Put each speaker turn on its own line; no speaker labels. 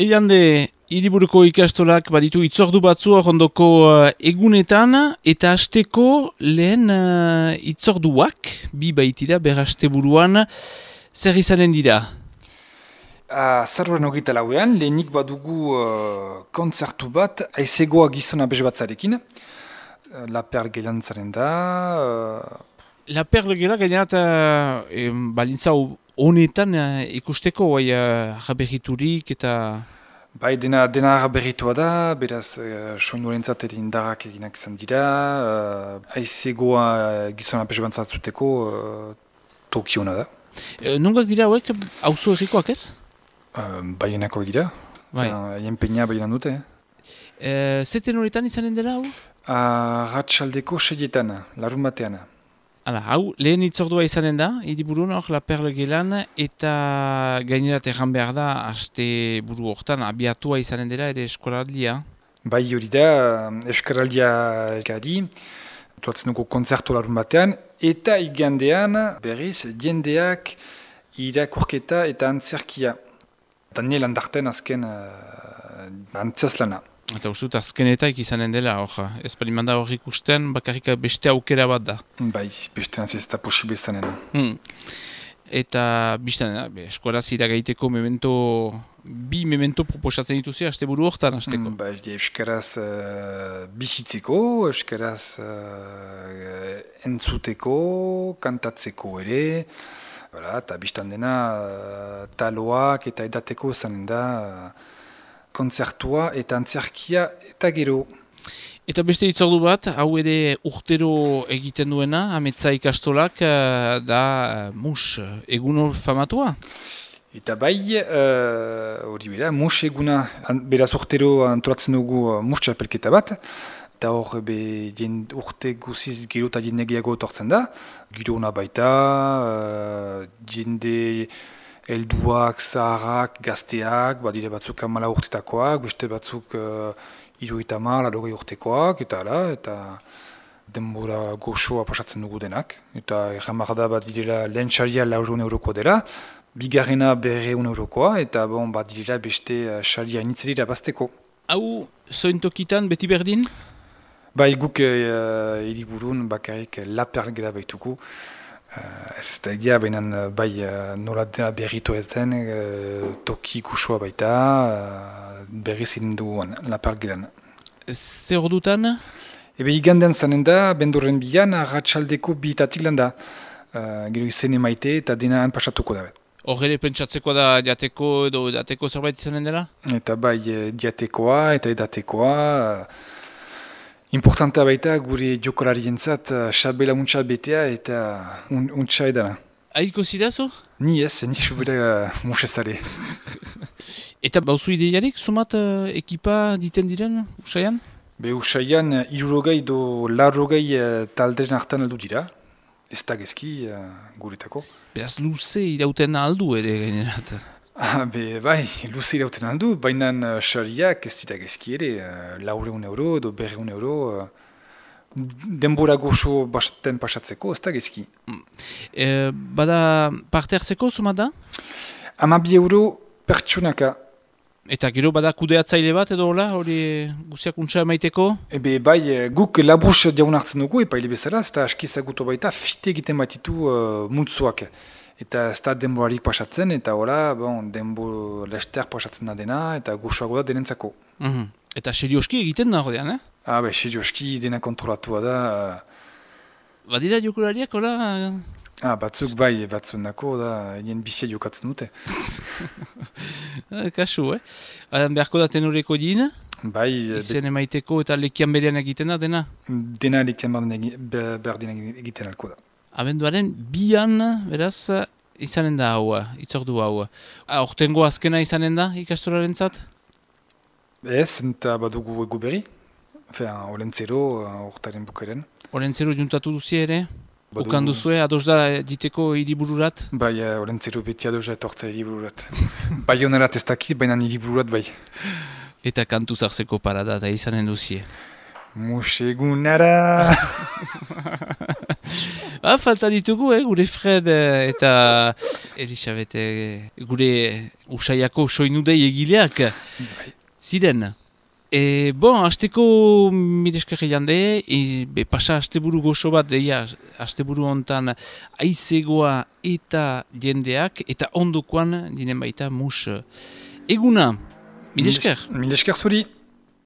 Eiande, hiriburuko ikastolak baditu itzordu batzu ondoko egunetan, eta hasteko lehen itzorduak, bi baitira berraste buruan, zer izanen dira?
Zarroren hogeita lauean, lehenik badugu kontzertu bat, aizegoa gizona bezbatzarekin, La Perle Gehiantzaren da.
La Perle gela gainerat balintza honetan ikusteko, jaberriturik eta...
Bai, dena berritua da, beraz soinuarentzat ere indarrak eginak izan dira, aizegoa gizona bezbatzatuteko tokiona da.
Nongak dira hauek, auzo errikoak ez?
Baionako dira, haien peina baionan dute.
Zeten horretan izanen dela hau?
Ratxaldeko seietan, larun batean.
Hala, hau, lehen itzordua izanen da, hiriburun hor, La Perle gelan, eta gainerat erran behar da, haste buru hortan, abiatua izanen dela, ere eskoraldia.
Bai hori da, eskoraldia gari, tuatzen dugu konzertu larun batean, eta igandean, berriz, jendeak irakurketa eta antzerkia. Daniel Andarten azken antzazlana.
Eta usut, azkenetaik izanen dela, ez palimanda hor ikusten, bakarrik beste aukera bat da.
Bai, beste ez da posible izanen.
Eta biztan, eskoraz iragaiteko bi memento proposatzen dituzia, haste buru hortan, hasteko.
Bai, euskaraz bizitzeko, euskaraz entzuteko, kantatzeko ere, eta biztan dena taloak eta edateko izanen da, kontzertua eta antzerkia eta gero.
Eta beste itzordu bat, hau ere urtero egiten duena, ametsa ikastolak, da mus egun famatua?
Eta bai, hori bera, mus eguna, beraz urtero antolatzen dugu mus txapelketa bat, eta hor urte guziz gero eta jende gehiago etortzen da, giro hona baita, jende... Elduak, zaharrak, gazteak, badire batzuk 14 urtetakoak, beste batzuk 70, 80 urtekoak, eta denbora goxoa pasatzen dugu denak. Eta erramar da bat direla lehen xaria 400 eurokoa dela, bigarrena 200 eurokoa, eta bat direla beste xaria initzerira bazteko.
Hau, zointokitan beti berdin?
Bai, guk hiriburun bakarrik La Perle gela baituko. Ez da egia, baina bai nola dena berritu ez zen, toki kusua baita, berri ziren duguan, La Perle gelan.
Zer ordutan?
Ebe igandean zanen da, bendurren bilan, ratxaldeko bitatik lan da. Gero izen emaite eta dena han pasatuko da.
Hor ere pentsatzeko da jateko edo edateko zerbait izanen dela?
Eta bai jatekoa eta edatekoa. Importanta baita gure jokolarientzat xabela untsa betea eta untsa edana.
Aiko zirazo?
Ni ez, nizu bera musezare.
Eta bauzu ideiarik, sumat ekipa diten diren, usaian?
Usaian, 60 do 80 talderen hartan aldu dira. Ez da gezki guretako.
Beraz luze irauten aldu ere gainerat.
Bai, luze irauten aldu, baina xariak ez dira gezki ere, 400 euro edo 200 euro, denbora goxo basten pasatzeko, ez da gezki.
Bada parte hartzeko, sumat da?
12 euro pertsonaka.
Eta gero bada kudeatzaile bat edo hola, hori guziak untsa emaiteko?
Bai, guk labus diagun hartzen dugu, epaile bezala, ez da askizagutu baita, fite egiten batitu multzoak. Eta ez da denborarik pasatzen, eta hola, denbo lester pasatzen da dena, eta goxoago da denentzako.
Eta serioski egiten da horrean,
Bai, serioski dena kontrolatua da.
Badira jokulariak, hola?
Batzuk bai, batzuk nako da, egin bizia jokatzen dute.
Kasu, beharko da tenoreko din?
Bai.
Izen emaiteko eta lekian berean egiten da, dena?
Dena lekian berdin egiten alko da.
Abenduaren bian, beraz, izanen da hau, itzordu hau. Hortengo azkena izanen da, ikastoraren zat?
Ez, eta badugu egu berri. Olentzero, hortaren bukaren.
Olentzero juntatu duzi ere? Ukan duzue, ados da diteko hiribururat?
Bai, olentzero beti ados da etortzea hiribururat. Bai honerat ez dakit, baina hiribururat bai.
Eta kantu zartzeko parada eta izanen duzie.
Musegunara!
Falta ditugu, gure Fred eta Elisabet, gure usaiako soinudei egileak. Ziren. Hasteko mideskerri jande, pasa asteburu gozo bat deia, asteburu hontan aizegoa eta jendeak, eta ondokoan, dinen baita, mus eguna. Midesker?
Midesker zuri.